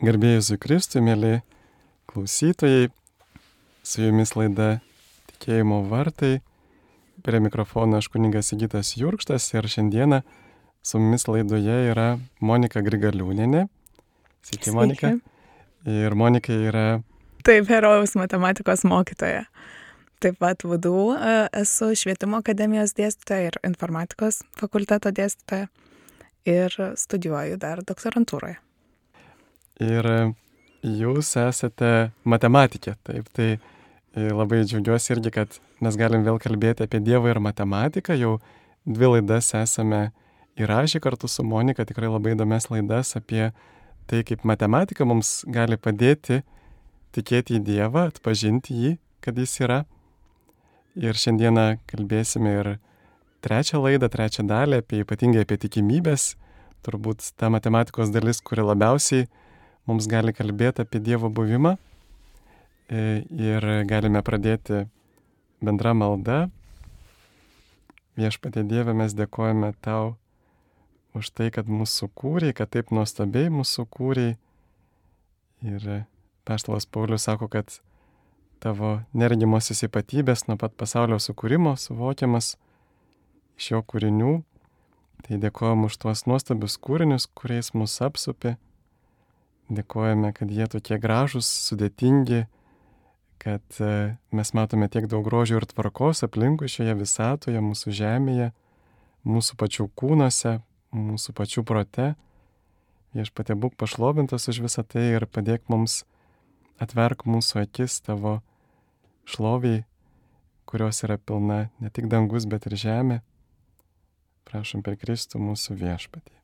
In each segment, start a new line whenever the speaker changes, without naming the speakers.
Garbė Jėzui Kristui, mėly klausytojai, su jumis laida Tikėjimo vartai. Prie mikrofono aš kunigas Sigitas Jurkštas ir šiandieną su mumis laidoje yra Monika Grigaliūnienė. Sveiki, Monika. Ir Monika yra...
Taip, herojaus matematikos mokytoja. Taip pat VDU esu švietimo akademijos dėstytoja ir informatikos fakulteto dėstytoja ir studijuoju dar doktorantūroje.
Ir jūs esate matematikė, taip, tai labai džiaugiuosi irgi, kad mes galim vėl kalbėti apie Dievą ir matematiką. Jau 2 laidas esame įrašę kartu su Monika, tikrai labai įdomias laidas apie tai, kaip matematika mums gali padėti tikėti į Dievą, atpažinti jį, kad jis yra. Ir šiandieną kalbėsime ir 3 laidą, 3 dalį, ypatingai apie tikimybės, turbūt ta matematikos dalis, kuri labiausiai mums gali kalbėti apie Dievo buvimą. Ir galime pradėti bendra malda. Viešpatie Dieve, mes dėkojame Tau už tai, kad mūsų kūrei, kad taip nuostabiai mūsų kūrei. Ir apaštalas Paulius sako, kad Tavo neregimosios ypatybės nuo pat pasaulio sukūrimo suvokiamas iš jo kūrinių. Tai dėkojame už tuos nuostabius kūrinius, kuriais mus apsupi. Dėkojame, kad jie tokie gražūs, sudėtingi, kad mes matome tiek daug grožio ir tvarkos aplinkui šioje visatoje, mūsų žemėje, mūsų pačių kūnuose, mūsų pačių prote. Viešpatie, būk pašlovintas už visą tai ir padėk mums, atverk mūsų akis Tavo šloviai, kurios yra pilna ne tik dangus, bet ir žemė. Prašom per Kristų mūsų Viešpatį.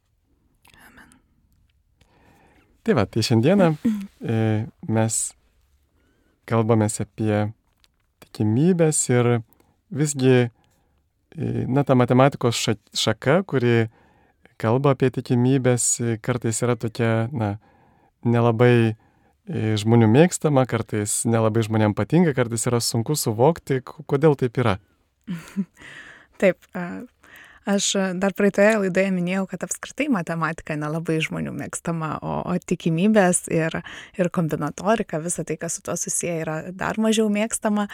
Tai va, tai šiandieną mes kalbamės apie tikimybės ir visgi, ta matematikos šaka, kuri kalba apie tikimybės, kartais yra tokia, nelabai žmonių mėgstama, kartais nelabai žmonėms patinka, kartais yra sunku suvokti, kodėl taip yra.
Taip, aš dar praeitoje laidoje minėjau, kad apskritai matematika nelabai žmonių mėgstama, o tikimybės ir kombinatorika, visa tai, kas su tuo susiję, yra dar mažiau mėgstama.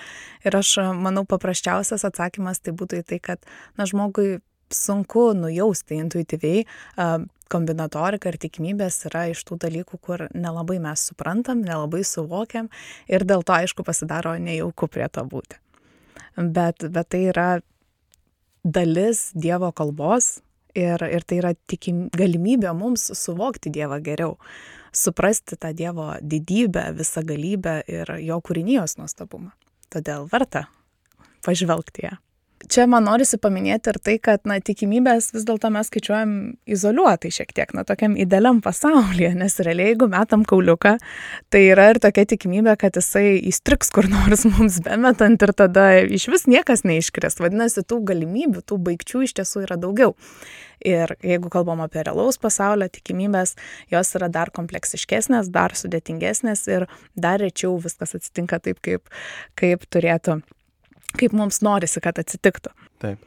Ir aš manau, paprasčiausias atsakymas tai būtų į tai, kad žmogui sunku nujausti intuityviai. Kombinatorika ir tikimybės yra iš tų dalykų, kur nelabai mes suprantam, nelabai suvokiam ir dėl to, aišku, pasidaro nejauku prie to būti. Bet tai yra dalis Dievo kalbos ir tai yra galimybė mums suvokti Dievą geriau, suprasti tą Dievo didybę, visagalybę ir jo kūrinijos nuostabumą. Todėl verta pažvelgti ją. Čia man norisi paminėti ir tai, kad tikimybės vis dėlto mes skaičiuojam izoliuotai šiek tiek, tokiam idealiam pasaulyje, nes realiai, jeigu metam kauliuką, tai yra ir tokia tikimybė, kad jisai įstriks kur nors mums bemetant ir tada iš vis niekas neiškris. Vadinasi, tų galimybių, tų baigčių iš tiesų yra daugiau. Ir jeigu kalbam apie realaus pasaulio tikimybės, jos yra dar kompleksiškesnės, dar sudėtingesnės ir dar rečiau viskas atsitinka taip, kaip turėtų. Kaip mums norisi, kad atsitiktų.
Taip.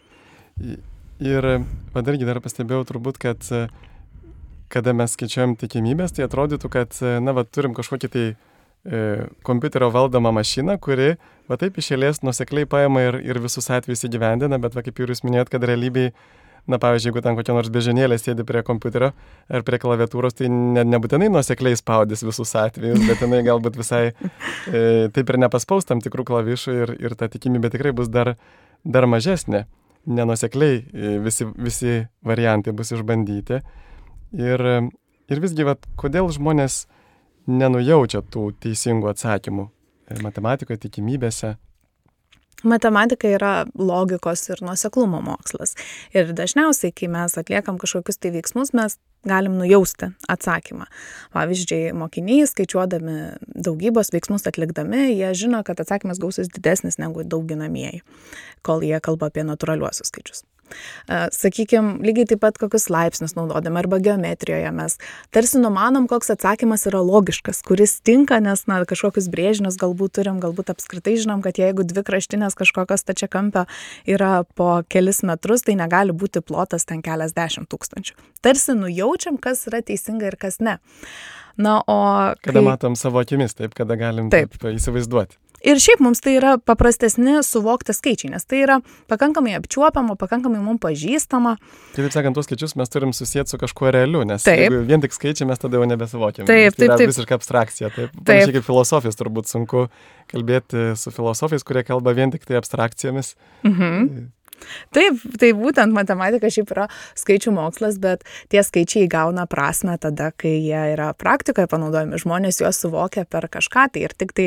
Ir dargi dar pastebėjau turbūt, kad kada mes skaičiuojam tikimybės, tai atrodytų, kad turim kažkokį tai kompiuterio valdomą mašiną, kuri taip iš eilės nuosekliai paima ir visus atvejus įgyvendina, bet kaip ir jūs minėjot, kad realybėj, pavyzdžiui, jeigu ten kokia nors bežionėlė sėdi prie kompiuterio ar prie klaviatūros, tai nebūtinai nuosekliai spaudys visus atvejus, bet jinai galbūt visai taip ir nepaspaus tam tikrų klavišų ir ta tikimybė tikrai bus dar mažesnė. Nenuosekliai visi variantai bus išbandyti. Ir visgi, kodėl žmonės nenujaučia tų teisingų atsakymų matematikoje, tikimybėse?
Matematika yra logikos ir nuoseklumo mokslas. Ir dažniausiai, kai mes atliekam kažkokius tai veiksmus, mes galim nujausti atsakymą. Pavyzdžiui, mokiniai skaičiuodami daugybos veiksmus atlikdami, jie žino, kad atsakymas gausis didesnis negu dauginamieji, kol jie kalba apie natūraliuosius skaičius. Sakykime, lygiai taip pat kokius laipsnius naudodami arba geometrijoje mes tarsi numanom, koks atsakymas yra logiškas, kuris tinka, nes kažkokius brėžinius galbūt turim, galbūt apskritai žinom, kad jeigu dvi kraštinės kažkokios stačiakampio yra po kelis metrus, tai negali būti plotas ten keliasdešimt tūkstančių. Tarsi nujaučiam, kas yra teisinga ir kas ne.
Kada matom savo akimis, taip, kada galim taip įsivaizduoti.
Ir šiaip mums tai yra paprastesni suvokti skaičiai, nes tai yra pakankamai apčiuopiama, pakankamai mums pažįstama.
Taip sakant, tuos skaičius mes turim susijęti su kažkuo realiu, nes jeigu vien tik skaičiai mes tada jau nebesuvokiam.
Taip.
Tai yra visiška abstrakcija. Panašiai kaip filosofijos, turbūt sunku kalbėti su filosofais, kurie kalba vien tik tai abstrakcijomis.
Taip, tai būtent matematika šiaip yra skaičių mokslas, bet tie skaičiai įgauna prasmę tada, kai jie yra praktikoje panaudojami, žmonės juos suvokia per kažką, tai ir tik tai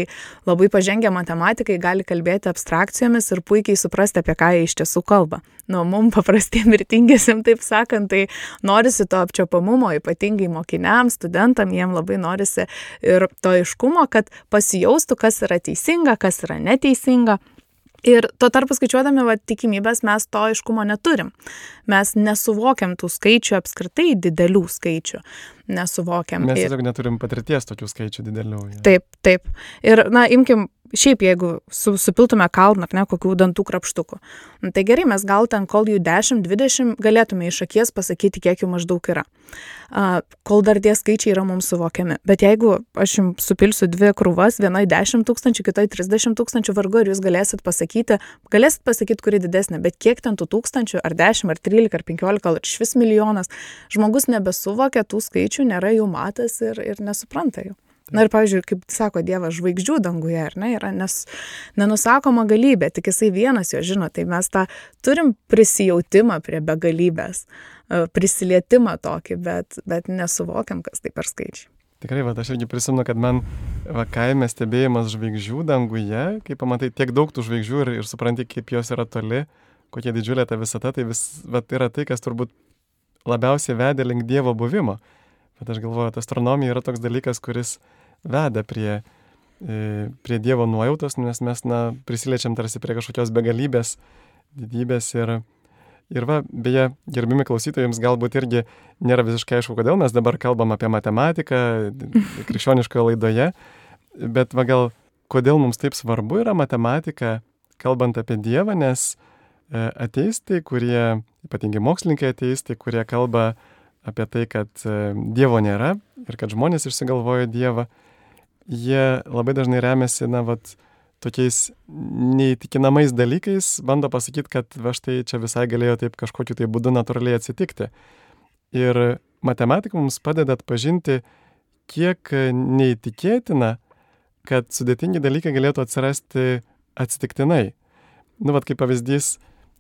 labai pažengę matematikai gali kalbėti abstrakcijomis ir puikiai suprasti, apie ką jie iš tiesų kalba. Mums paprastiem mirtingiesiam, taip sakant, tai norisi to apčiuopamumo, ypatingai mokiniams, studentam, jiem labai norisi ir to aiškumo, kad pasijaustų, kas yra teisinga, kas yra neteisinga. Ir tuo tarpu skaičiuodami tikimybės mes to aiškumo neturim. Mes nesuvokiam tų skaičių apskritai, didelių skaičių. Nesuvokiam.
Mes tiesiog neturim patirties tokių skaičių didelių.
Ja. Taip. Ir, imkim, šiaip jeigu supiltume kalną, ar ne, kokių dantų krapštukų. Tai gerai, mes gal ten, kol jų 10-20, galėtume iš akies pasakyti, kiek jų maždaug yra. Kol dar tie skaičiai yra mums suvokiami. Bet jeigu aš jums supilsiu dvi krūvas, vienai 10 tūkstančių, kitai 30 tūkstančių, vargu ir jūs galėsit pasakyti, kuri didesnė, bet kiek ten tų tūkstančių, ar 10, ar 13, ar 15, ar iš vis milijonas, žmogus nebesuvokia tų skaičių, nėra jų matęs ir nesupranta jų. Ir, pavyzdžiui, kaip sako Dievas, žvaigždžių danguje, ar ne, yra nenusakoma galybė, tik jisai vienas jo žino, tai mes tą turim prisijautimą prie begalybės, prisilietimą tokį, bet nesuvokiam, kas tai per skaičiai.
Tikrai, aš irgi prisimenu, kad man kaime stebėjimas žvaigždžių danguje, kai pamatai tiek daug tų žvaigždžių ir supranti, kaip jos yra toli, kokia didžiulė ta visata, tai yra tai, kas turbūt labiausiai vedė link Dievo buvimo. Bet aš galvoju, astronomija yra toks dalykas, kuris veda prie Dievo nuojautos, nes mes prisiliečiam tarsi prie kažkokios begalybės, didybės ir beje, gerbimi klausytojai, jums galbūt irgi nėra visiškai aišku, kodėl mes dabar kalbam apie matematiką krikščioniškoje laidoje, bet gal kodėl mums taip svarbu yra matematika, kalbant apie Dievą, nes ateistai, ypatingai mokslininkai ateistai, kurie kalba apie tai, kad Dievo nėra ir kad žmonės išsigalvojo Dievą, jie labai dažnai remiasi, tokiais neįtikinamais dalykais, bando pasakyti, kad štai čia visai galėjo taip kažkokiu tai būdu natūraliai atsitikti. Ir matematika mums padeda atpažinti, kiek neįtikėtina, kad sudėtingi dalykai galėtų atsirasti atsitiktinai. Kaip pavyzdys,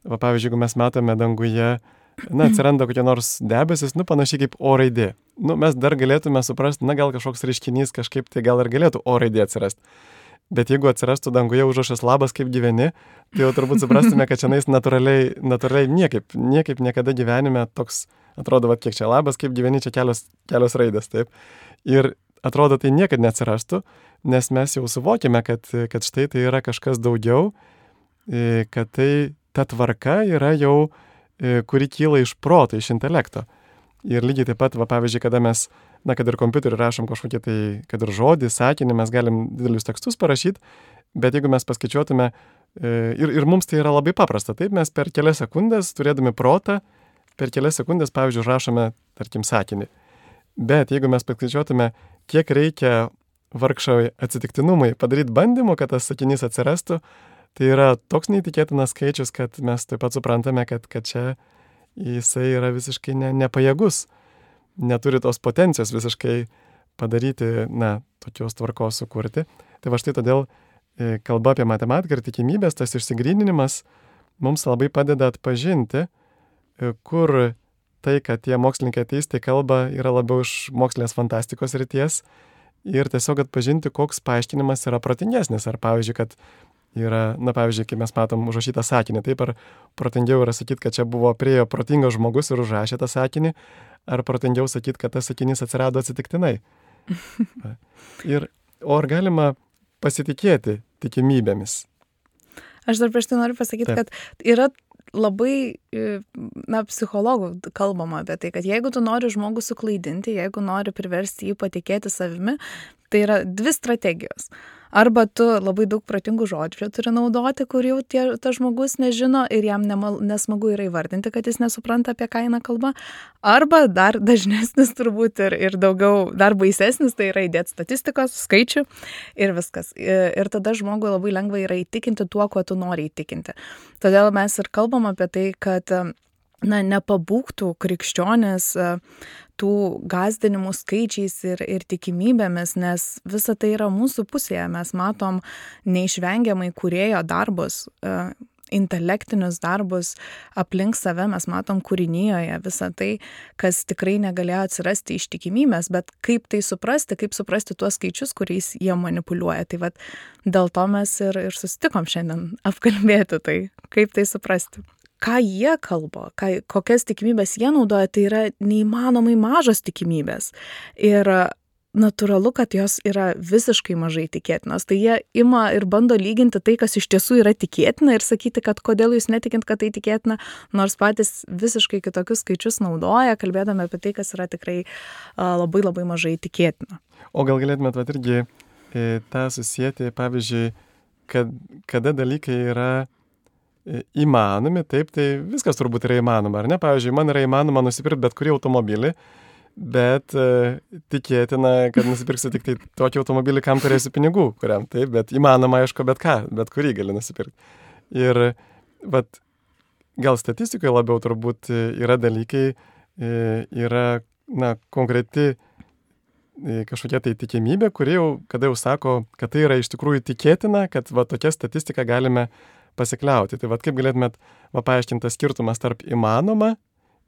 pavyzdžiui, jeigu mes matome danguje, atsiranda kokie nors debesis, panašiai kaip O raidė. Mes dar galėtume suprasti, gal kažkoks reiškinys kažkaip tai gal ir galėtų O raidė atsirasti. Bet jeigu atsirastų danguje užrašas labas, kaip gyveni, tai jau turbūt suprastume, kad šiandien natūraliai niekaip niekada gyvenime toks, atrodo, kiek čia labas, kaip gyveni, čia kelios raidės, taip. Ir atrodo, tai niekad neatsirastų, nes mes jau suvokime, kad štai tai yra kažkas daugiau, kad tai ta tvarka yra jau kuri kyla iš proto, iš intelekto. Ir lygiai taip pat, pavyzdžiui, kada mes, kad ir kompiuteriu rašom kažkokį tai, kad ir žodį, sakinį, mes galim didelius tekstus parašyti, bet jeigu mes paskaičiuotume, ir mums tai yra labai paprasta, taip mes per kelias sekundės, turėdami protą, per kelias sekundės, pavyzdžiui, rašome, tarkim, sakinį. Bet jeigu mes paskaičiuotume, kiek reikia vargšai atsitiktinumui padaryti bandymų, kad tas sakinys atsirastų, tai yra toks neįtikėtinas skaičius, kad mes taip pat suprantame, kad čia jisai yra visiškai nepajėgus, neturi tos potencijos visiškai padaryti, tokios tvarkos sukurti. Tai štai todėl kalba apie matematiką ir tikimybės, tas išsigryninimas mums labai padeda atpažinti, kur tai, kad tie mokslininkai ateistai kalba, yra labiau iš mokslinės fantastikos srities ir tiesiog atpažinti, koks paaiškinimas yra protingesnis. Ar pavyzdžiui, kad yra, pavyzdžiui, kai mes matom užrašytą sakinį, taip, ar protingiau yra sakyti, kad čia priėjo protingas žmogus ir užrašė tą sakinį, ar protingiau sakyti, kad tas sakinys atsirado atsitiktinai. O ar galima pasitikėti tikimybėmis?
Aš dar prieš tai noriu pasakyti, kad yra labai, psichologų kalbama apie tai, kad jeigu tu nori žmogų suklaidinti, jeigu nori priversti jį patikėti savimi, tai yra 2 strategijos. Arba tu labai daug protingų žodžių turi naudoti, kur jau tas žmogus nežino ir jam nesmagu yra įvardinti, kad jis nesupranta, apie ką eina kalba. Arba dar dažnesnis turbūt ir daugiau, dar baisesnis, tai yra įdėti statistikos, skaičių ir viskas. Ir tada žmogui labai lengva yra įtikinti tuo, kuo tu nori įtikinti. Todėl mes ir kalbam apie tai, kad nepabūgtų krikščionės tų gąsdinimų skaičiais ir tikimybėmis, nes visa tai yra mūsų pusėje. Mes matom neišvengiamai kūrėjo darbus, intelektinius darbus aplink save, mes matom kūrinijoje visą tai, kas tikrai negalėjo atsirasti iš tikimybės, bet kaip tai suprasti, kaip suprasti tuos skaičius, kuriais jie manipuliuoja. Tai vat dėl to mes ir susitikom šiandien apkalbėti tai, kaip tai suprasti. Ką jie kalba, kokias tikimybės jie naudoja, tai yra neįmanomai mažos tikimybės. Ir natūralu, kad jos yra visiškai mažai tikėtinos. Tai jie ima ir bando lyginti tai, kas iš tiesų yra tikėtina ir sakyti, kad kodėl jūs netikint, kad tai tikėtina, nors patys visiškai kitokius skaičius naudoja, kalbėdami apie tai, kas yra tikrai labai labai mažai tikėtina.
O gal galėtumėt irgi tą susijęti, pavyzdžiui, kada dalykai yra įmanomi, taip, tai viskas turbūt yra įmanoma, ar ne? Pavyzdžiui, man yra įmanoma nusipirkti bet kurį automobilį, bet tikėtina, kad nusipirksiu tik tai tokį automobilį, kam turėsiu pinigų, kuriam, taip, bet įmanoma, aišku, bet kurį gali nusipirkti. Ir gal statistikoje labiau turbūt yra dalykai, yra, konkreti kažkokia tai tikimybė, kuri kada jau sako, kad tai yra iš tikrųjų tikėtina, kad tokia statistika galime pasikliauti. Tai kaip galėtumėt paaiškinti skirtumas tarp įmanoma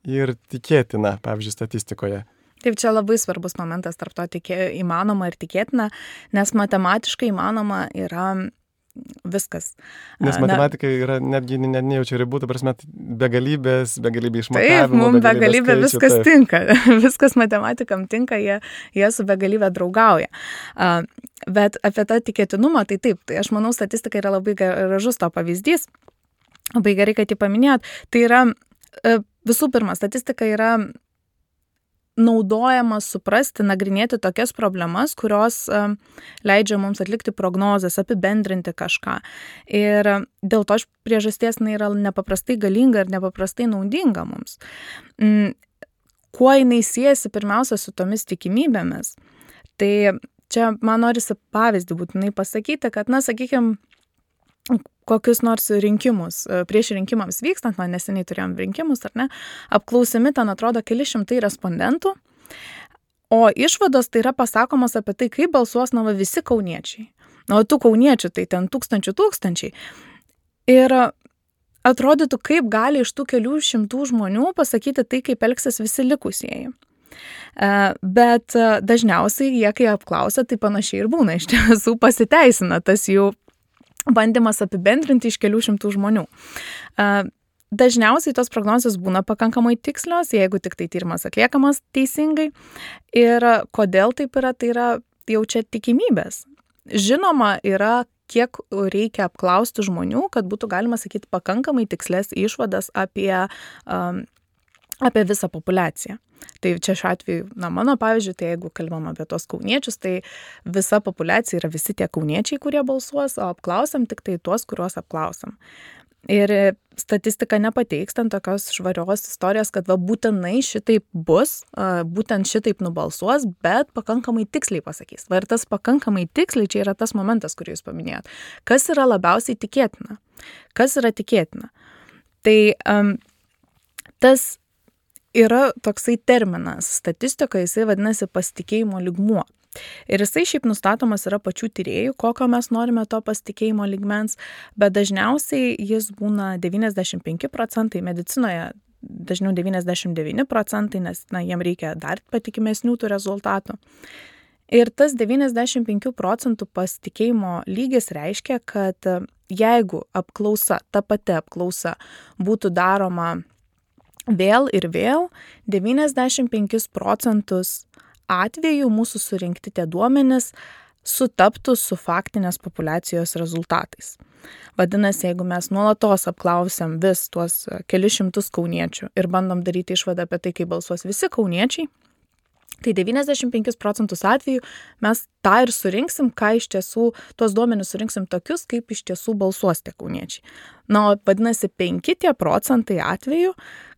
ir tikėtina, pavyzdžiui, statistikoje?
Taip, čia labai svarbus momentas tarp to įmanoma ir tikėtina, nes matematiškai įmanoma yra viskas.
Nes matematika yra netgi nejaučia ribų, ta prasme, begalybė išmatavimo.
Taip, mums begalybė viskas tinka. Viskas matematikam tinka, jie su begalybė draugauja. Bet apie tą tikėtinumą, tai taip, tai aš manau, statistika yra labai gražus to pavyzdys. Labai gerai, kad jį paminėjot. Tai yra, visų pirma, statistika yra naudojamas suprasti, nagrinėti tokias problemas, kurios leidžia mums atlikti prognozes, apibendrinti kažką. Ir dėl to priežasties yra nepaprastai galinga ir nepaprastai naudinga mums. Kuo jinai siejasi pirmiausia su tomis tikimybėmis? Tai čia man norisi pavyzdį būtinai pasakyti, kad, sakykime, kokius nors rinkimus, prieš rinkimams vykstant, neseniai turėjom rinkimus, ar ne, apklausimi ten atrodo keli šimtai respondentų, o išvados tai yra pasakomos apie tai, kaip balsuos visi kauniečiai. O tų kauniečių tai ten tūkstančiai. Ir atrodytų, kaip gali iš tų kelių šimtų žmonių pasakyti tai, kaip elgsis visi likusieji. Bet dažniausiai jie, kai apklausia, tai panašiai ir būna, iš tiesų pasiteisina tas jų bandymas apibendrinti iš kelių šimtų žmonių. Dažniausiai tos prognozijos būna pakankamai tikslios, jeigu tik tai tyrimas atliekamas teisingai. Ir kodėl taip yra, tai yra jau čia tikimybės. Žinoma, yra kiek reikia apklausti žmonių, kad būtų galima sakyti pakankamai tikslės išvadas apie visą populiaciją. Tai čia šiuo atveju, mano pavyzdžiui, tai jeigu kalbam apie tos kauniečius, tai visa populiacija yra visi tie kauniečiai, kurie balsuos, o apklausiam tik tai tuos, kuriuos apklausiam. Ir statistika nepateiks ten tokios švarios istorijos, kad būtinai šitaip bus, būtent šitaip nubalsuos, bet pakankamai tiksliai pasakys. Ir tas pakankamai tiksliai čia yra tas momentas, kurį jūs paminėjot. Kas yra labiausiai tikėtina? Kas yra tikėtina? Tai tas yra toksai terminas statistikoje, jisai vadinasi pasitikėjimo lygmuo. Ir jisai šiaip nustatomas yra pačių tyrėjų, kokio mes norime to pasitikėjimo lygmens, bet dažniausiai jis būna 95%, medicinoje dažniau 99%, nes jiem reikia dar patikimesnių tų rezultatų. Ir tas 95% pasitikėjimo lygis reiškia, kad jeigu ta pati apklausa būtų daroma vėl ir vėl, 95% atvejų mūsų surinkti tie duomenys sutaptų su faktinės populiacijos rezultatais. Vadinasi, jeigu mes nuolatos apklausiam vis tuos kelius šimtus kauniečių ir bandom daryti išvadą apie tai, kaip balsuos visi kauniečiai, tai 95% atvejų mes tą ir surinksim, ką iš tiesų, tuos duomenis surinksim tokius, kaip iš tiesų balsuos tie kauniečiai. Na, o vadinasi, 5% atvejų,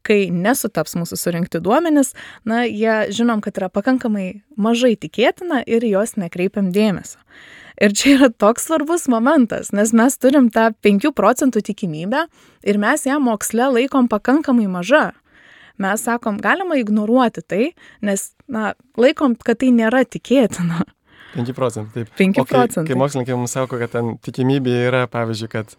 kai nesutaps mūsų surinkti duomenis, na, jie žinom, kad yra pakankamai mažai tikėtina ir jos nekreipiam dėmesio. Ir čia yra toks svarbus momentas, nes mes turim tą 5% tikimybę ir mes ją moksle laikom pakankamai maža. Mes sakom, galima ignoruoti tai, nes, na, laikom, kad tai nėra tikėtina.
5%, taip.
5%.
Kai mokslininkai mums sako, kad ten tikimybė yra, pavyzdžiui, kad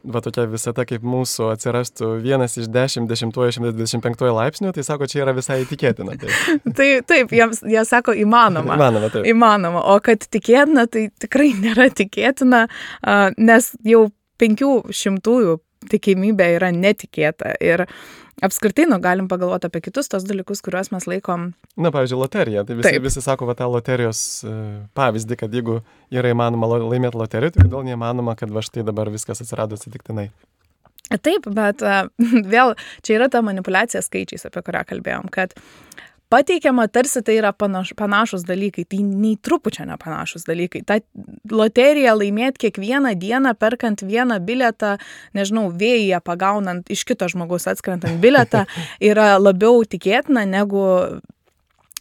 va tokia visata kaip mūsų atsirastų 1 iš 10, 125 laipsnių, tai sako, čia yra visai tikėtina.
Taip, jie sako įmanoma.
Įmanoma, taip.
Įmanoma, o kad tikėtina, tai tikrai nėra tikėtina, nes jau 500 tikimybė yra netikėta. Ir apskritai, galim pagalvoti apie kitus tos dalykus, kuriuos mes laikom.
Na, pavyzdžiui, loterija. Tai visi sako, va, tą loterijos pavyzdį, kad jeigu yra įmanoma laimėti loteriją, tai kodėl neįmanoma, kad va štai dabar viskas atsirado atsitiktinai.
Taip, bet vėl čia yra ta manipuliacija skaičiais, apie kurią kalbėjom, kad pateikiama tarsi tai yra panašus dalykai, tai nei trupučio nepanašus dalykai. Ta loterija laimėti kiekvieną dieną, perkant vieną bilietą, nežinau, vėjyje pagaunant iš kito žmogaus atskrentant bilietą, yra labiau tikėtina negu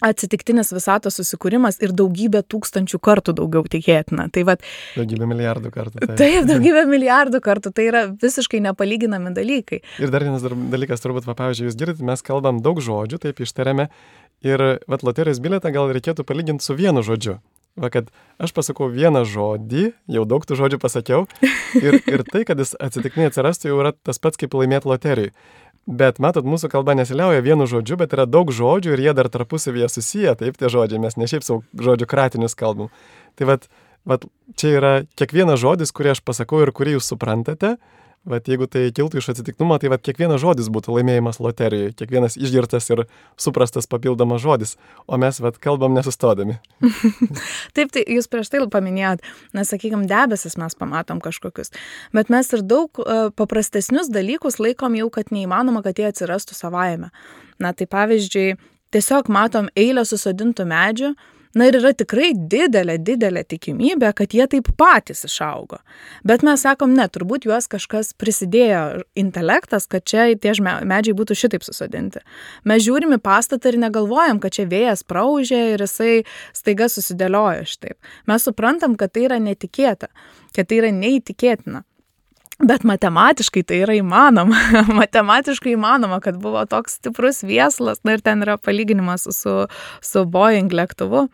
atsitiktinis visatos susikūrimas ir daugybė tūkstančių kartų daugiau tikėtina. Tai vat,
daugybė milijardų kartų.
Taip, daugybė milijardų kartų. Tai yra visiškai nepalyginami dalykai.
Ir dar vienas dalykas, turbūt, pavyzdžiui, jūs girdite, mes kalbam daug žodžių, taip ištariame. Ir vat, loterijos bilietą gal reikėtų palyginti su vienu žodžiu. Va, kad aš pasakau vieną žodį, jau daug tų žodžių pasakiau, ir tai, kad jis atsitiktinai atsirastų, jau yra tas pats, kaip laimėti loterijai. Bet, matot, mūsų kalba nesiliauja vienu žodžiu, bet yra daug žodžių ir jie dar tarpusavyje susiję, taip tie žodžiai, mes ne šiaip savo žodžių kratinius kalbam. Tai vat, čia yra kiekvienas žodis, kurį aš pasakau ir kurį jūs suprantate. Vat, jeigu tai kiltų iš atsitiktinumo, tai vat, kiekvienas žodis būtų laimėjimas loterijoje, kiekvienas išgirtas ir suprastas papildomas žodis, o mes vat, kalbam nesustodami.
Taip, tai jūs prieš tai paminėjot, nes, sakykime, debesis mes pamatom kažkokius, bet mes ir daug paprastesnius dalykus laikom jau, kad neįmanoma, kad jie atsirastų savaime. Na, tai pavyzdžiui, tiesiog matom eilę susodintų medžių, na ir yra tikrai didelė tikimybė, kad jie taip patys išaugo. Bet mes sakom, ne, turbūt juos kažkas prisidėjo intelektas, kad čia tie medžiai būtų šitaip susodinti. Mes žiūrim į pastatą ir negalvojam, kad čia vėjas praūžė ir jisai staiga susidėliojo šitaip. Mes suprantam, kad tai yra netikėta, kad tai yra neįtikėtina. Bet matematiškai tai yra įmanoma. Matematiškai įmanoma, kad buvo toks stiprus viesulas, na ir ten yra palyginimas su Boeing lėktuvu.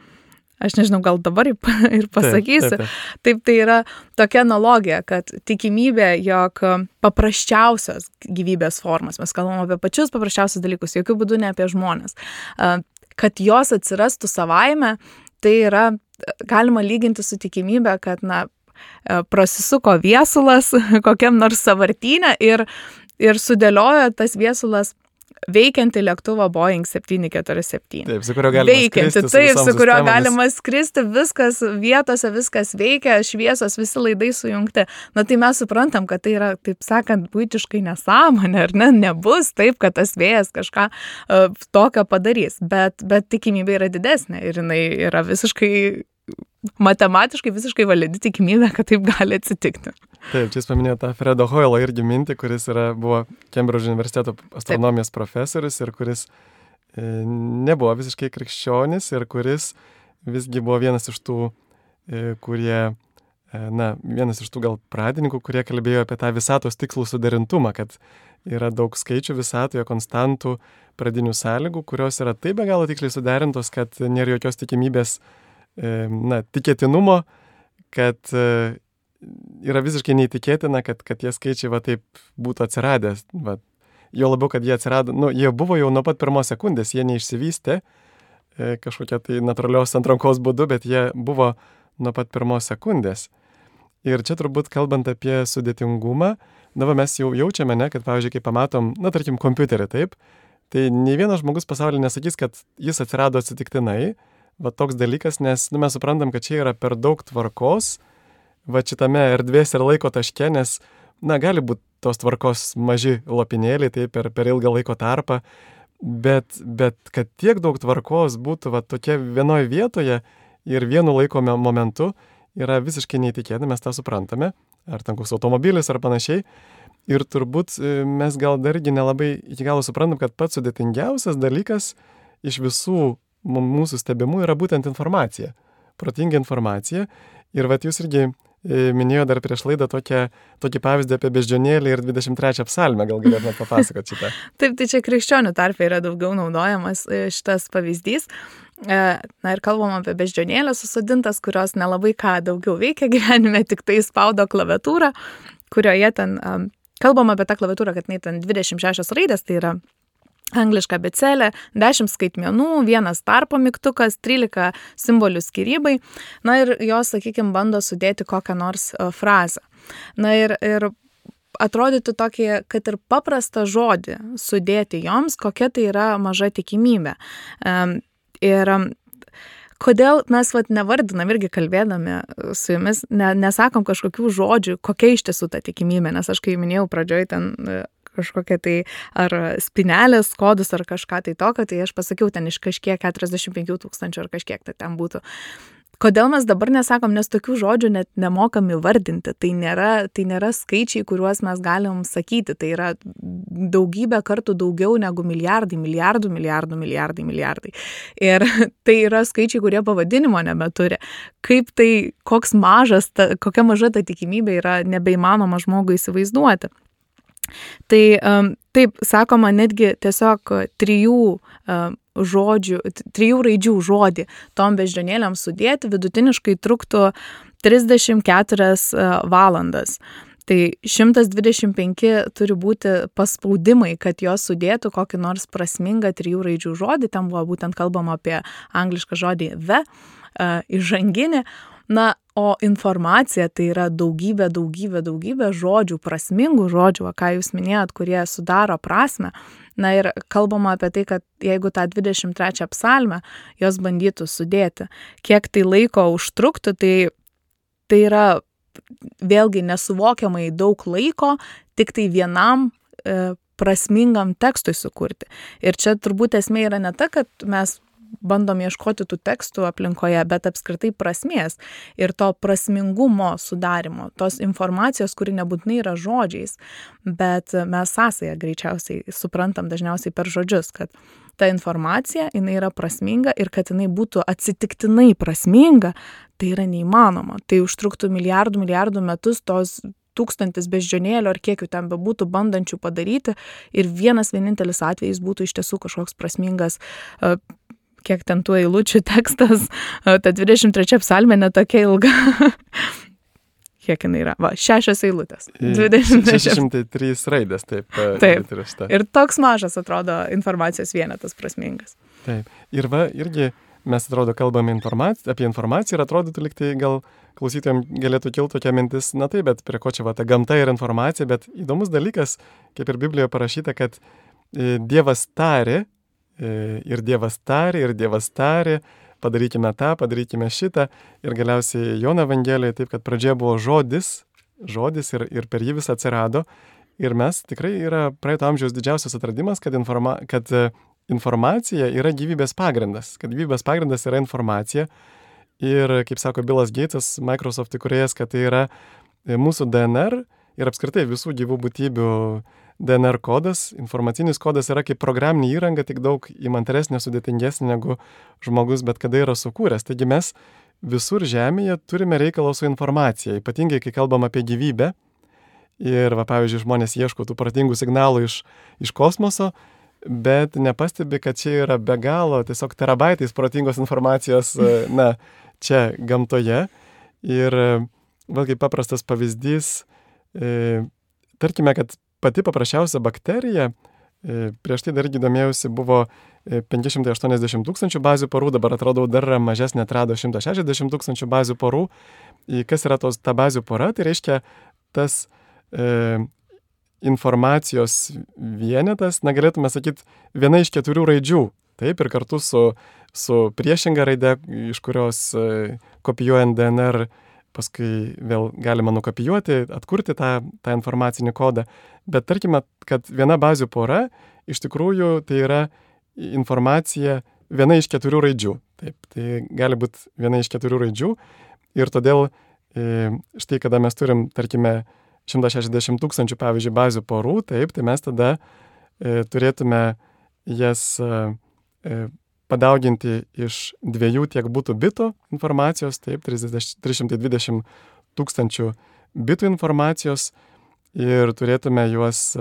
Aš nežinau, gal dabar ir pasakysiu. Taip, tai yra tokia analogija, kad tikimybė, jog paprasčiausios gyvybės formas, mes kalbam apie pačius paprasčiausius dalykus, jokių būdų ne apie žmones, kad jos atsirastų savaime, tai yra galima lyginti su tikimybė, kad, na, prasisuko viesulas kokiam nors sąvartyne ir sudėliojo tas viesulas veikianti lėktuvą Boeing 747.
Taip, su kurio galima skristi.
Taip, su kurio galima skristi, viskas vietose, viskas veikia, šviesos, visi laidai sujungti. Na tai mes suprantam, kad tai yra, taip sakant, buitiškai nesąmonė, ar ne? Nebus taip, kad tas vėjas kažką tokio padarys, bet tikimybė yra didesnė ir jinai yra visiškai matematiškai visiškai validi tikimybė, kad taip gali atsitikti.
Taip, čia jūs paminėjote tą Fredo Hoylo irgi mintį, kuris buvo Kembridžo universiteto astronomijos profesorius ir kuris nebuvo visiškai krikščionis ir kuris visgi buvo vienas iš tų, vienas iš tų gal pradininkų, kurie kalbėjo apie tą visatos tikslų suderintumą, kad yra daug skaičių visatoje, konstantų, pradinių sąlygų, kurios yra taip be galo tiksliai suderintos, kad nėra jokios tikimybės tikėtinumo, kad yra visiškai neįtikėtina, kad tie skaičiai va taip būtų atsiradę. Va. Jo labiau, kad jie atsirado, jie buvo jau nuo pat pirmos sekundės, jie neišsivystė kažkokia tai natūralios atrankos būdu, bet jie buvo nuo pat pirmos sekundės. Ir čia turbūt kalbant apie sudėtingumą, mes jau jaučiame, kad pavyzdžiui, kai pamatom, tarkim, kompiuterį, taip, tai nei vienas žmogus pasaulyje nesakys, kad jis atsirado atsitiktinai. va toks dalykas, nes mes suprantam, kad čia yra per daug tvarkos, va šitame erdvės ir laiko taške, nes, gali būti tos tvarkos maži lopinėliai, tai per ilgą laiko tarpą, bet kad tiek daug tvarkos būtų va tokia vienoje vietoje ir vienu laiko momentu, yra visiškai neįtikėtina, mes tą suprantame, ar ten koks automobilis ar panašiai. Ir turbūt mes gal dargi nelabai iki galo suprantam, kad pats sudėtingiausias dalykas iš visų mūsų stebimų yra būtent informacija, protinga informacija. Ir vat jūs irgi minėjo dar prieš laidą tokį pavyzdį apie beždžionėlį ir 23 psalmę, gal galėtumėte papasakoti šitą.
Taip, tai čia krikščionių tarpe yra daugiau naudojamas šitas pavyzdys. Ir kalbam apie beždžionėlę susodintas, kurios nelabai ką daugiau veikia gyvenime, tik tai spaudo klaviatūrą, kurioje ten, kalbam apie tą klaviatūrą, kad ten 26 raidės, tai yra angliška abėcėlė, 10 skaitmenų, 1 tarpo mygtukas, 13 simbolių skyrybai. Ir jos, sakykime, bando sudėti kokią nors frazę. Ir atrodytų tokį, kad ir paprastą žodį sudėti joms, kokia tai yra maža tikimybė. Ir kodėl mes nevardinam irgi kalbėdami su jumis, nesakom kažkokių žodžių, kokia iš tiesų ta tikimybė, nes aš kai minėjau pradžioj ten kažkokia tai ar spinelės kodus ar kažką tai tokio, tai aš pasakiau ten iš kažkiek 45 000 ar kažkiek tai ten būtų. Kodėl mes dabar nesakom, nes tokių žodžių net nemokam įvardinti, tai nėra skaičiai, kuriuos mes galim sakyti, tai yra daugybę kartų daugiau negu milijardai. Ir tai yra skaičiai, kurie pavadinimo nebeturi. Kaip tai, kokia maža ta tikimybė yra nebeįmanoma žmogui įsivaizduoti. Tai taip, sakoma, netgi tiesiog 3 raidžių žodį tom beždžionėlėm sudėti vidutiniškai truktų 34 valandas. Tai 125 turi būti paspaudimai, kad jos sudėtų kokį nors prasmingą 3 raidžių žodį. Ten buvo būtent kalbama apie anglišką žodį the, įžanginį. O informacija tai yra daugybė žodžių, prasmingų žodžių, ką jūs minėjot, kurie sudaro prasmę. Ir kalbama apie tai, kad jeigu tą 23 psalmę jos bandytų sudėti, kiek tai laiko užtruktų, tai yra vėlgi nesuvokiamai daug laiko, tik tai vienam prasmingam tekstui sukurti. Ir čia turbūt esmė yra ne ta, kad mes bandom ieškoti tų tekstų aplinkoje, bet apskritai prasmės ir to prasmingumo sudarimo, tos informacijos, kuri nebūtinai yra žodžiais, bet mes sąsają greičiausiai suprantam dažniausiai per žodžius, kad ta informacija, jinai yra prasminga ir kad jinai būtų atsitiktinai prasminga, tai yra neįmanoma. Tai užtruktų milijardų metus tos 1000 beždžionėlių ar kiek jų ten bebūtų bandančių padaryti ir vienintelis atvejis būtų iš tiesų kažkoks prasmingas, kiek ten tų eilučių tekstas, ta 23 psalmė netokia ilga. Kiek jinai yra? 6 eilutės.
603 raidės, taip.
Ir toks mažas atrodo informacijos vienetas prasmingas.
Taip. Ir irgi mes atrodo kalbame apie informaciją ir atrodytų liktai gal klausytojams galėtų kilti tokia mintis, taip, bet prie ko čia ta gamta ir informacija, bet įdomus dalykas, kaip ir Biblijoje parašyta, kad Dievas tarė, ir Dievas tarė, padarykime tą, padarykime šitą. Ir galiausiai Jono Evangelijoje taip, kad pradžioje buvo žodis ir per jį vis atsirado. Ir mes tikrai yra praeito amžiaus didžiausias atradimas, kad informacija yra gyvybės pagrindas. Kad gyvybės pagrindas yra informacija. Ir, kaip sako Bilas Geitsas, Microsoft įkūrėjas, kad tai yra mūsų DNR ir apskritai visų gyvų būtybių DNR kodas, informacinis kodas yra kaip programinė įranga, tik daug įmantaresnė, sudėtingesnė negu žmogus bet kada yra sukūręs. Taigi mes visur žemėje turime reikalą su informacija, ypatingai kai kalbam apie gyvybę. Ir, pavyzdžiui, žmonės ieško tų protingų signalų iš kosmoso, bet nepastebi, kad čia yra be galo tiesiog terabaitais protingos informacijos, čia gamtoje. Ir vėlgi paprastas pavyzdys, tarkime, kad pati paprasčiausia bakterija, prieš tai dar domėjausi, buvo 580 000 bazių porų, dabar atradau dar mažesnė, atrado 160 000 bazių porų. Kas yra ta bazių pora? Tai reiškia tas informacijos vienetas, galėtume sakyti, viena iš 4 raidžių. Taip, ir kartu su su priešinga raide, iš kurios kopijuojant DNR paskui vėl galima nukopijuoti, atkurti tą informacinį kodą. Bet tarkime, kad viena bazių pora iš tikrųjų tai yra informacija viena iš 4 raidžių. Taip, tai gali būti viena iš 4 raidžių ir todėl štai kada mes turim, tarkime, 160 000, pavyzdžiui, bazių porų, taip, tai mes tada turėtume jas padauginti iš 2 tiek būtų bitų informacijos, taip, 320 000 bitų informacijos ir turėtume juos,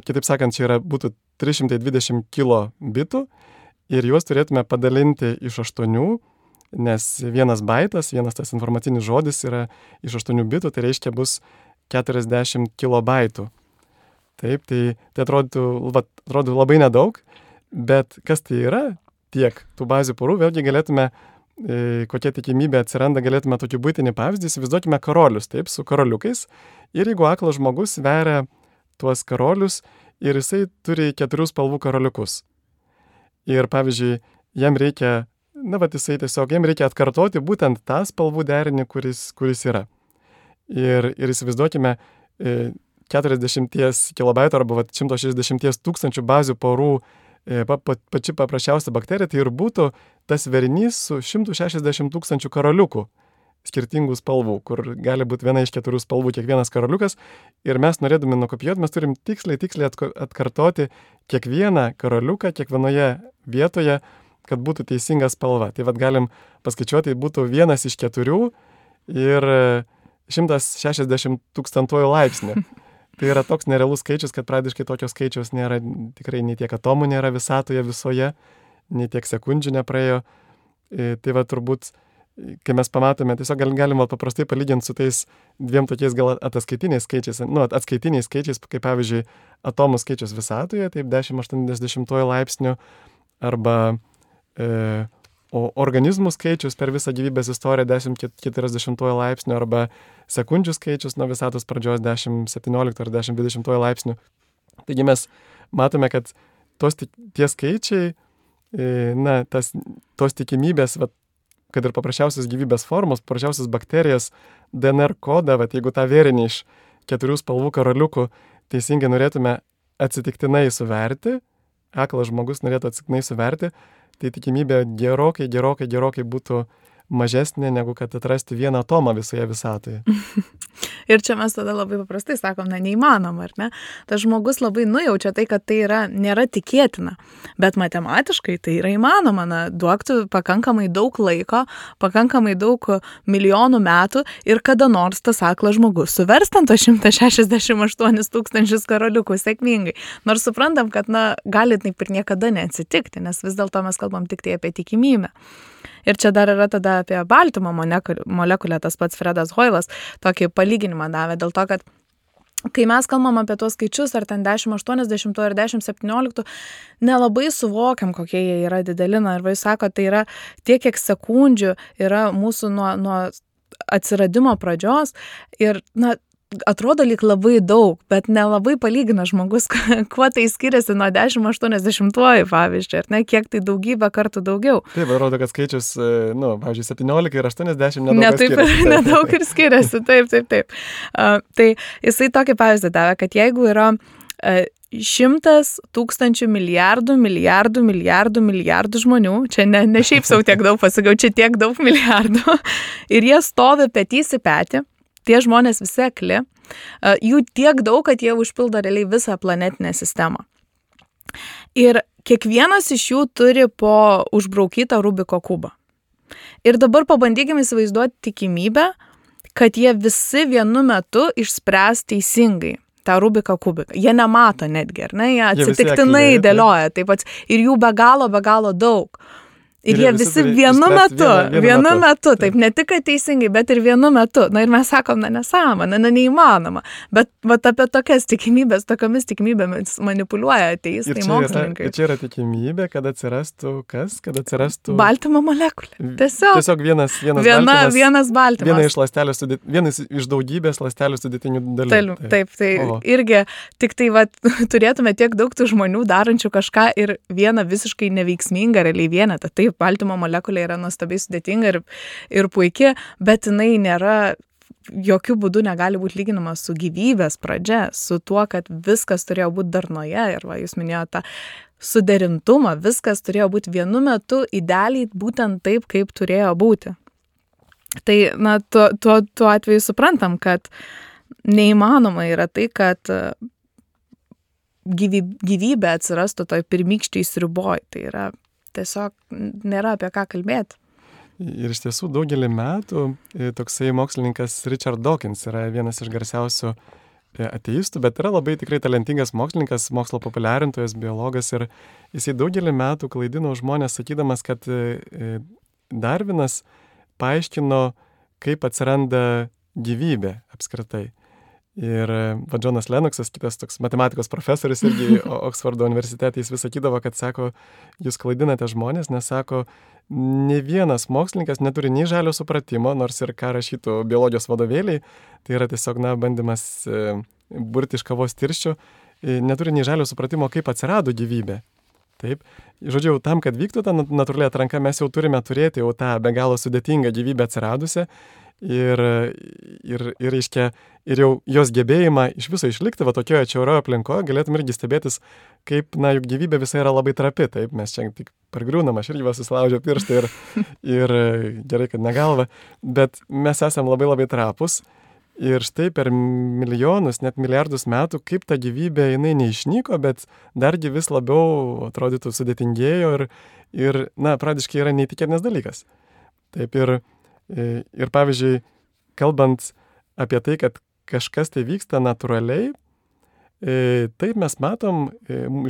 kitaip sakant, čia būtų 320 kilobitų ir juos turėtume padalinti iš 8, nes vienas baitas, vienas tas informacinis žodis yra iš 8 bitų, tai reiškia bus 40 kilobaitų. Taip, tai atrodo labai nedaug, bet kas tai yra tiek tų bazių porų, vėlgi galėtume, kokia tikimybė atsiranda, galėtume tokį buitinį pavyzdį, įsivaizduokime karolius, taip, su karoliukais, ir jeigu aklas žmogus veria tuos karolius ir jisai turi 4 spalvų karoliukus. Ir pavyzdžiui, jam reikia, jam reikia atkartoti būtent tą spalvų derinį, kuris yra. Ir įsivaizduokime 40 kilobaitų arba 160 000 bazių porų pači paprasčiausia bakterija, tai ir būtų tas verinys su 160 000 karoliukų skirtingų spalvų, kur gali būti viena iš 4 spalvų kiekvienas karoliukas. Ir mes norėdami nukopijuoti, mes turim tiksliai atkartoti kiekvieną karoliuką kiekvienoje vietoje, kad būtų teisinga spalva. Tai galim paskaičiuoti, tai būtų 1 iš 4 ir 160 000 laipsnių. Tai yra toks nerealus skaičius, kad praktiškai tokio skaičiaus nėra, tikrai nei tiek atomų nėra visatoje visoje, nei tiek sekundžių nepraėjo. Tai turbūt, kai mes pamatome, tiesiog galim paprastai palyginti su tais 2 tokiais gal ataskaitiniais skaičiais, atskaitiniais skaičiais, kaip pavyzdžiui atomų skaičius visatoje, taip 1080 laipsnių, arba organizmų skaičius per visą gyvybės istoriją 1040 laipsnių, arba sekundžių skaičius nuo visatos pradžios 1017 ar 1020 laipsnių. Taigi mes matome, kad tie skaičiai, tos tikimybės, kad ir paprasčiausios gyvybės formos, paprasčiausios bakterijas, DNR kodą, jeigu tą vėrinį iš 4 spalvų karoliukų teisingai norėtume atsitiktinai suverti, aklas žmogus norėtų atsitiktinai suverti, tai tikimybė gerokai būtų mažesnė, negu kad atrasti vieną atomą visoje visatoje.
Ir čia mes tada labai paprastai sakom, neįmanoma, ar ne? Tas žmogus labai nujaučia tai, kad tai nėra tikėtina, bet matematiškai tai yra įmanoma, duoktų pakankamai daug laiko, pakankamai daug milijonų metų ir kada nors tas aklas žmogus suvers ten to 168 000 karoliukų sėkmingai. Nors suprantam, kad gali taip ir niekada neatsitikti, nes vis dėlto mes kalbam tik tai apie tikimybę. Ir čia dar yra tada apie baltymo molekulę, tas pats Fredas Hoilas tokį palyginimą davė, dėl to, kad kai mes kalbam apie tuos skaičius, ar ten 1080 ar 1017, nelabai suvokiam, kokie jie yra dideli. Ir jis sako, tai yra tiek, kiek sekundžių yra mūsų nuo atsiradimo pradžios ir, atrodo lyg labai daug, bet nelabai palygina žmogus, kuo tai skiriasi nuo 1080, pavyzdžiui, ar ne, kiek tai daugybę kartų daugiau.
Taip, atrodo, kad skaičius, pavyzdžiui, 17 ir 80 nedaug skiriasi.
Nedaug ir skiriasi, taip. Tai jisai tokį pavyzdį davė, kad jeigu yra 100 000 milijardų žmonių, čia ne šiaip sau tiek daug pasakiau, čia tiek daug milijardų, ir jie stovi petys į petį, tie žmonės visi akli, jų tiek daug, kad jie užpildo realiai visą planetinę sistemą. Ir kiekvienas iš jų turi po užbraukytą Rubiko kubą. Ir dabar pabandykime įsivaizduoti tikimybę, kad jie visi vienu metu išspręs teisingai tą Rubiko kubiką. Jie nemato netgi, ar ne? Jie atsitiktinai dėlioja taip pat. Ir jų be galo daug. Ir jie visi vienu metu, taip, ne tik teisingai, bet ir vienu metu. Ir mes sakom, nesąmonė, neįmanoma. Bet apie tokias tikimybės, tokiamis tikimybėmis manipuliuoja ateistai mokslininkai.
Ir čia yra tikimybė, kad atsirastų kas? Kad atsirastų
baltymo molekulė. Tiesiog
vienas baltymas. Vienas iš daugybės ląstelių sudėtinių dalių.
Taip, tai irgi tik tai turėtume tiek daug tų žmonių darančių kažką ir vieną visiškai neveiksmingą realiai vienetą. Tai taip, baltymo molekulė yra nuostabiai sudėtinga ir puikia, bet jinai nėra, jokių būdų negali būti lyginama su gyvybės pradžia, su tuo, kad viskas turėjo būti darnoje ir va, jūs minėjote tą suderintumą, viskas turėjo būti vienu metu idealiai būtent taip, kaip turėjo būti. Tai, na, tuo atveju suprantam, kad neįmanoma yra tai, kad gyvybė atsirastų toj pirmykščiai sriuboj. Tai yra tiesiog nėra apie ką kalbėti.
Ir iš tiesų daugelį metų toksai mokslininkas Richard Dawkins yra vienas iš garsiausių ateistų, bet yra labai tikrai talentingas mokslininkas, mokslo populiarintojas, biologas ir jisai daugelį metų klaidino žmonės sakydamas, kad Darvinas paaiškino, kaip atsiranda gyvybė apskritai. Ir Džonas Lennoxas, kitas toks matematikos profesorius irgi Oksfordo universitete, jis vis sakydavo, kad sako, jūs klaidinate žmonės, nes sako, ne vienas mokslininkas neturi nei žalio supratimo, nors ir ką rašytų biologijos vadovėliai, tai yra tiesiog, bandymas burti iš kavos tirščių, neturi nei žalio supratimo, kaip atsirado gyvybė. Taip. Žodžiu, tam, kad vyktų ta natūrali atranka, mes jau turime turėti jau tą be galo sudėtingą gyvybę atsiradusią ir jau jos gebėjimą iš viso išlikti va tokioje atšiauroje aplinkoje, galėtum irgi stebėtis, kaip, juk gyvybė visa yra labai trapi, taip, mes čia tik pargriūnam, aš irgi va susilaužiau pirštą ir gerai, kad ne galva, bet mes esam labai labai trapus ir štai per milijonus, net milijardus metų, kaip ta gyvybė, jinai neišnyko, bet dargi vis labiau atrodytų sudėtingėjo ir pradiškai yra neįtikėtinas dalykas. Taip ir pavyzdžiui, kalbant apie tai, kad kažkas tai vyksta natūraliai, taip mes matom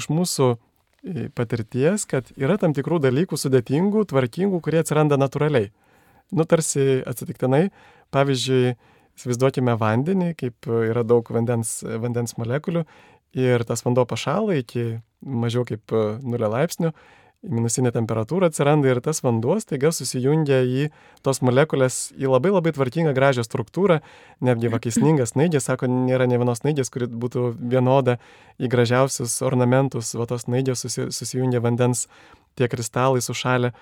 iš mūsų patirties, kad yra tam tikrų dalykų sudėtingų, tvarkingų, kurie atsiranda natūraliai. Tarsi atsitiktinai, pavyzdžiui, įsivaizduokime vandenį, kaip yra daug vandens molekulių ir tas vanduo pašąla iki mažiau kaip 0 laipsnių, minusinė temperatūra atsiranda ir tas vanduo staiga susijungia į tos molekulės į labai labai tvarkingą gražią struktūrą, netgi vakisningas snaigės, sako, nėra ne vienos snaigės, kuri būtų vienoda į gražiausius ornamentus, va tos snaigės susijungia vandens tie kristalai sušalę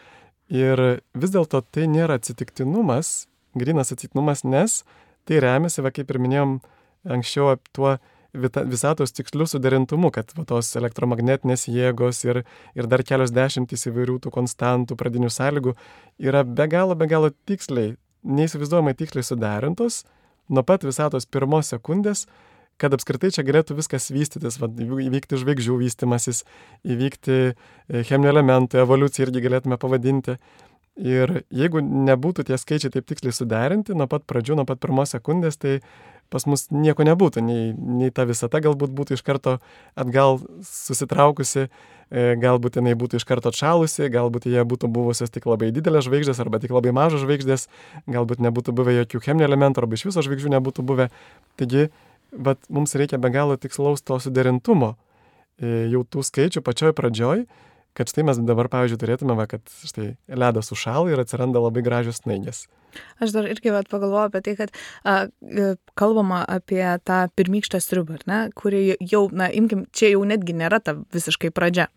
ir vis dėlto tai nėra atsitiktinumas, grynas atsitiktinumas, nes tai remiasi, va kaip ir minėjom anksčiau, tuo visatos tiksliu suderintumu, kad va, tos elektromagnetinės jėgos ir dar kelios dešimtys įvairių tų konstantų, pradinių sąlygų yra be galo tiksliai, neįsivaizduojamai tiksliai suderintos nuo pat visatos pirmos sekundės, kad apskritai čia galėtų viskas vystytis, va, įvykti žvaigždžių vystymasis, įvykti cheminių elementų, evoliuciją irgi galėtume pavadinti. Ir jeigu nebūtų tie skaičiai taip tiksliai suderinti nuo pat pradžių, nuo pat pirmos sekundės, tai pas mus nieko nebūtų, nei ta visata galbūt būtų iš karto atgal susitraukusi, galbūt jinai būtų iš karto atšalusi, galbūt jie būtų buvusios tik labai didelės žvaigždės arba tik labai mažos žvaigždės, galbūt nebūtų buvę jokių cheminių elementų arba iš viso žvaigždžių nebūtų buvę. Taigi, mums reikia be galo tikslaus to suderintumo jau tų skaičių pačioj pradžioj, kad štai mes dabar, pavyzdžiui, turėtume, kad štai ledas sušąla ir atsiranda labai gražios snaigės.
Aš dar irgi pagalvoju apie tai, kad kalbama apie tą pirmykštę sriubą, kuri jau, imkim, čia jau netgi nėra ta visiškai pradžia,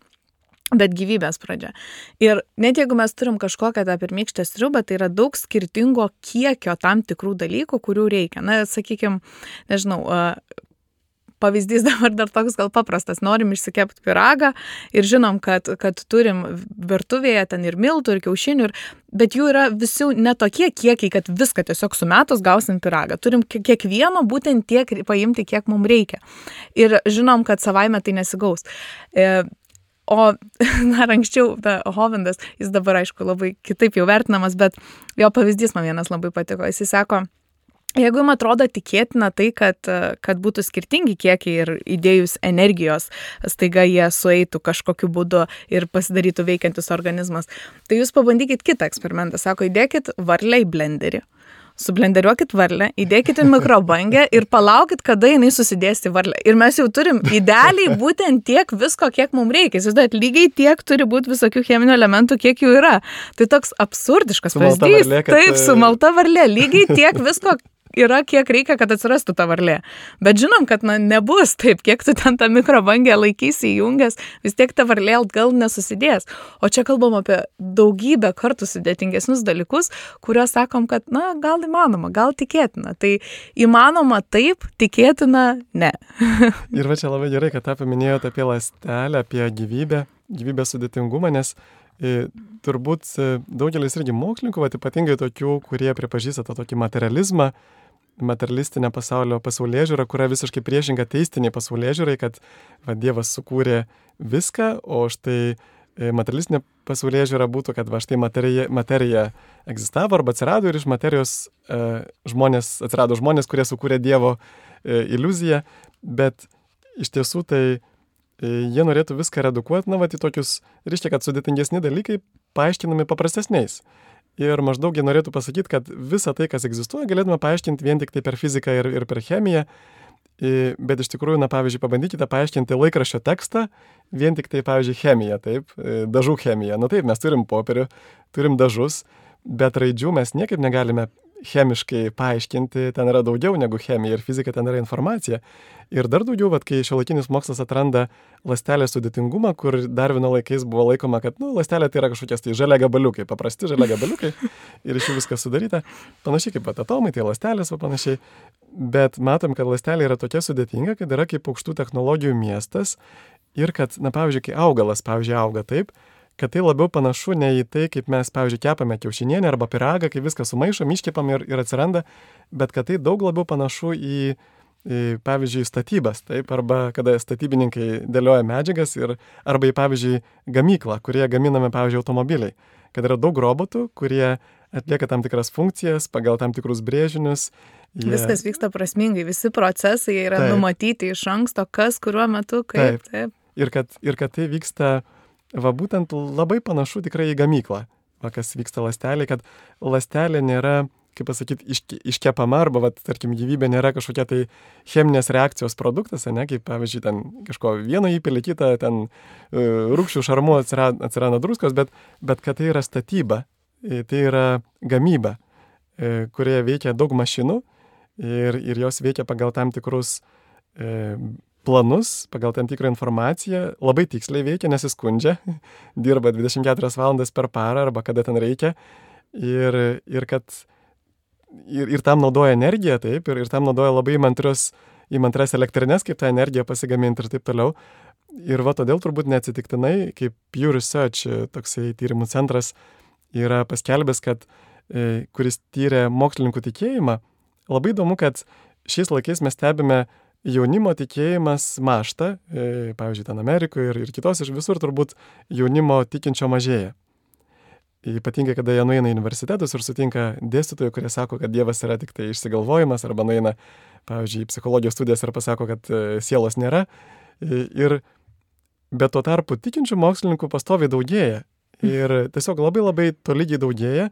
bet gyvybės pradžia. Ir net jeigu mes turim kažkokią tą pirmykštę sriubą, tai yra daug skirtingo kiekio tam tikrų dalykų, kurių reikia. Sakykime, nežinau, pavyzdys dabar dar toks gal paprastas, norim išsikepti pyragą ir žinom, kad turim virtuvėje ten ir miltų, ir kiaušinių, bet jų yra visi netokie kiekiai, kad viską tiesiog sumetus gausim pyragą. Turim kiekvieno būtent tiek paimti, kiek mums reikia. Ir žinom, kad savaime tai nesigaus. O dar anksčiau, Hovindas, jis dabar aišku labai kitaip jau vertinamas, bet jo pavyzdys man vienas labai patiko. Jis sako, jeigu jums atrodo tikėtina tai, kad būtų skirtingi kiekiai ir įdėjus energijos, staiga jie sueitų kažkokiu būdu ir pasidarytų veikiantis organizmas, tai jūs pabandykit kitą eksperimentą. Sako, įdėkit varlę į blenderį, sublenderiuokit varlę, įdėkit į mikrobangę ir palaukit, kada jinai susidės į varlę. Ir mes jau turim idealiai būtent tiek visko, kiek mums reikia. Įsivaizduojat, lygiai tiek turi būti visokių cheminių elementų, kiek jų yra. Tai toks absurdiškas pavyzdys. Taip, sumalta varlė, lygiai tiek visko, yra, kiek reikia, kad atsirastų ta varlė. Bet žinom, kad nebus taip, kiek tu ten tą mikrobangę laikysi įjungęs, vis tiek ta varlė gal nesusidės. O čia kalbam apie daugybę kartų sudėtingesnius dalykus, kuriuos sakom, kad, gal įmanoma, gal tikėtina. Tai įmanoma taip, tikėtina ne.
Ir va čia labai gerai, kad tą paminėjote apie ląstelę, apie gyvybės sudėtingumą, nes turbūt daugelis irgi mokslininkų, ypatingai tokių, kurie pripažįsta tą tokį materialistinę pasaulėžiūrą, kuria visiškai priešinga teistiniai pasaulėžiūrai, kad Dievas sukūrė viską, o štai materialistinė pasaulėžiūra būtų, kad štai materija egzistavo arba atsirado ir iš materijos atsirado žmonės, kurie sukūrė Dievo iliuziją, bet iš tiesų tai jie norėtų viską redukuoti, į tokius, reiškia, kad sudėtingesni dalykai paaiškinami paprastesniais. Ir maždaug jie norėtų pasakyti, kad visą tai, kas egzistuoja, galėtume paaiškinti vien tik tai per fiziką ir per chemiją, bet iš tikrųjų, pavyzdžiui, pabandykite paaiškinti laikraščio tekstą vien tik tai, pavyzdžiui, chemiją, taip, dažų chemiją. Taip, mes turim popierių, turim dažus, bet raidžių mes niekaip negalime chemiškai paaiškinti, ten yra daugiau negu chemija ir fizika, ten yra informacija. Ir dar daugiau, kai šiuolaikinis mokslas atranda ląstelės sudėtingumą, kur Darvino laikais buvo laikoma, kad ląstelė tai yra kažkokias tai žalia gabaliukai, paprasti žalia gabaliukai ir iš jų viskas sudaryta. Panašiai kaip atomai, tai ląstelės, panašiai. Bet matom, kad ląstelė yra tokia sudėtinga, kad yra kaip aukštų technologijų miestas ir kad, pavyzdžiui, kai augalas, auga taip, kad tai labiau panašu ne į tai, kaip mes, pavyzdžiui, kepame kiaušinienę arba pyragą, kai viską sumaišom, iškepam ir atsiranda, bet kad tai daug labiau panašu į pavyzdžiui, statybas, taip, arba kada statybininkai dėlioja medžiagas arba į, pavyzdžiui, gamyklą, kurie gaminame, pavyzdžiui, automobiliai, kad yra daug robotų, kurie atlieka tam tikras funkcijas pagal tam tikrus brėžinius.
Viskas vyksta prasmingai, visi procesai yra numatyti iš anksto, kas kuriuo metu, kaip. Taip.
Ir kad tai vyksta būtent labai panašu tikrai į gamyklą, kas vyksta ląstelėje, kad ląstelė nėra, kaip pasakyti, iškepama arba, tarkim, gyvybė nėra kažkokia tai cheminės reakcijos produktas, kaip, pavyzdžiui, ten kažko vieno įpili, kitą, ten rūgščių šarmų atsiranda druskos, bet kad tai yra statyba, tai yra gamyba, kurioje veikia daug mašinų ir jos veikia pagal tam tikrus planus, pagal tam tikrą informaciją, labai tiksliai veikia, nesiskundžia, dirba 24 valandas per parą arba kada ten reikia ir tam naudoja energiją, taip, ir tam naudoja labai įmantrias elektrinės, kaip tą energiją pasigaminti ir taip toliau. Ir todėl turbūt neatsitiktinai, kaip Pew Research, toksai tyrimų centras, yra paskelbęs, kad kuris tyrė mokslininkų tikėjimą, labai įdomu, kad šiais laikais mes stebime jaunimo tikėjimas mąžta, pavyzdžiui, ten Amerikoje ir kitos iš visur turbūt jaunimo tikinčio mažėja. Ypatingai, kada jie nueina į universitetus ir sutinka dėstytojų, kurie sako, kad Dievas yra tik tai išsigalvojimas, arba nueina, pavyzdžiui, į psichologijos studijas ir pasako, kad sielos nėra. Bet tuo tarpu tikinčių mokslininkų pastoviai daugėja. Ir tiesiog labai labai tolygiai daugėja.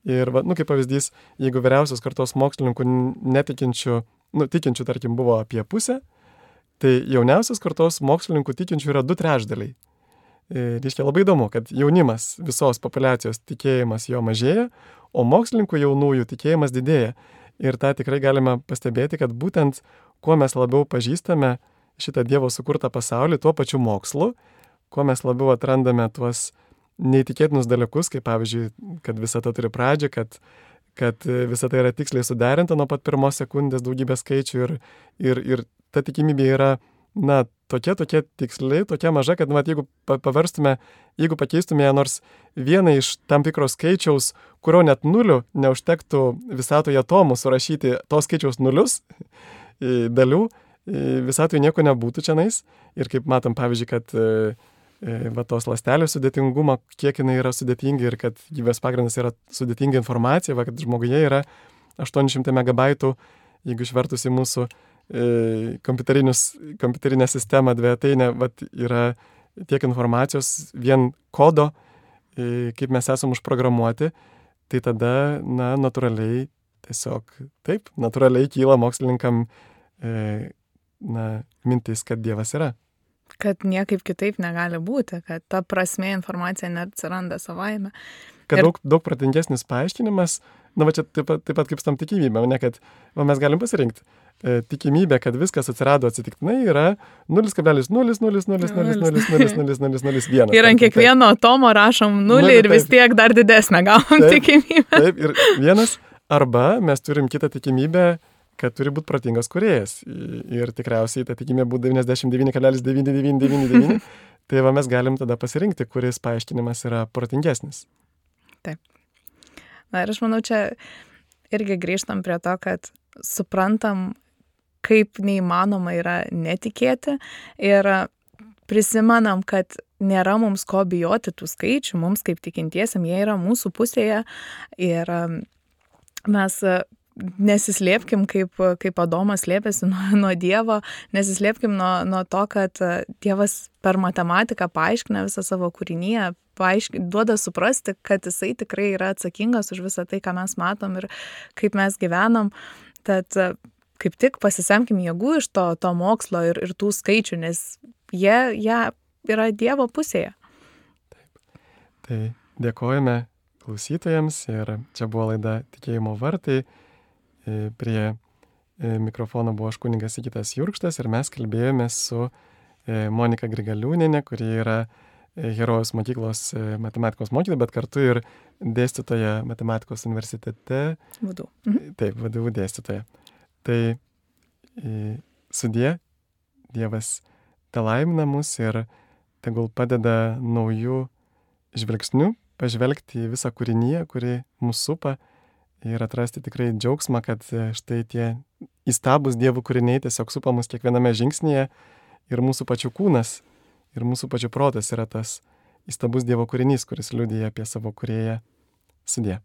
Ir, kaip pavyzdys, jeigu vyriausios kartos mokslininkų netikinčių, tikinčių, tarkim, buvo apie pusę, tai jauniausios kartos mokslininkų tikinčių yra 2/3. Reiškia labai įdomu, kad jaunimas visos populiacijos tikėjimas jo mažėja, o mokslininkų jaunųjų tikėjimas didėja. Ir tą tikrai galime pastebėti, kad būtent kuo mes labiau pažįstame šitą Dievo sukurtą pasaulį, tuo pačiu mokslu, kuo mes labiau atrandame tuos neįtikėtinus dalykus, kaip pavyzdžiui, kad visata turi pradžią, kad visata yra tiksliai suderinta nuo pat pirmos sekundės daugybė skaičių ir ta tikimybė yra, tokia tiksliai, tokia maža, kad jeigu paverstume, jeigu pakeistume nors vieną iš tam tikro skaičiaus, kurio net nulių neužtektų visatoje atomų surašyti to skaičiaus nulius dalių, visatoje nieko nebūtų čionais. Ir kaip matom, pavyzdžiui, kad tos ląstelės sudėtingumą, kiek jinai yra sudėtinga ir kad gyvybės pagrindas yra sudėtinga informacija, kad žmoguje yra 800 megabaitų, jeigu išvertus į mūsų kompiuterinę sistemą dvejetainę, yra tiek informacijos, vien kodo, kaip mes esam užprogramuoti, tai tada, natūraliai, tiesiog taip, natūraliai kyla mokslininkam mintis, kad Dievas yra.
Kad niekaip kitaip negali būti, kad ta prasmė informacija neatsiranda savaime.
Kad daug protingesnis paaiškinimas Na, va čia taip pat kaip su tam tikimybė, ne, kad mes galim pasirinkti. Tikimybė, kad viskas atsirado atsitiktinai yra 0,00000000001.
Ir ant kiekvieno atomo rašom 0 ir vis tiek dar didesnę gavom tikimybę.
Taip, ir vienas. Arba mes turim kitą tikimybę, kad turi būti protingas kūrėjas. Ir tikriausiai ta tikimybė būtų 99,9999. Tai va mes galim tada pasirinkti, kuris paaiškinimas yra protingesnis.
Taip. Na ir aš manau, čia irgi grįžtam prie to, kad suprantam, kaip neįmanoma yra netikėti ir prisimenam, kad nėra mums ko bijoti tų skaičių, mums kaip tikintiesiam, jie yra mūsų pusėje ir mes nesislėpkim, kaip Adomas slėpėsi nuo Dievo, nesislėpkim nuo to, kad Dievas per matematiką paaiškina visą savo kūrinyje, duoda suprasti, kad jisai tikrai yra atsakingas už visą tai, ką mes matom ir kaip mes gyvenam. Tad kaip tik pasisemkim jėgų iš to mokslo ir tų skaičių, nes jie yra Dievo pusėje.
Taip. Tai dėkojame klausytojams ir čia buvo laida Tikėjimo vartai. Prie mikrofono buvo aš kunigas Sigitas Jurkštas ir mes kalbėjome su Monika Grigaliūnienė, kuri yra Herojaus mokyklos matematikos mokytoja, bet kartu ir dėstytoja matematikos universitete.
VDU.
Taip, VDU dėstytoja. Tai sudie, Dievas te laimina mus ir tegul padeda naujų žvilgsnių pažvelgti į visą kūriniją, kuri mus supa ir atrasti tikrai džiaugsmą, kad štai tie įstabūs Dievo kūriniai tiesiog supa mus kiekviename žingsnyje ir mūsų pačių kūnas ir mūsų pačių protas yra tas įstabus Dievo kūrinys, kuris liudija apie savo kūrėją. Sudie.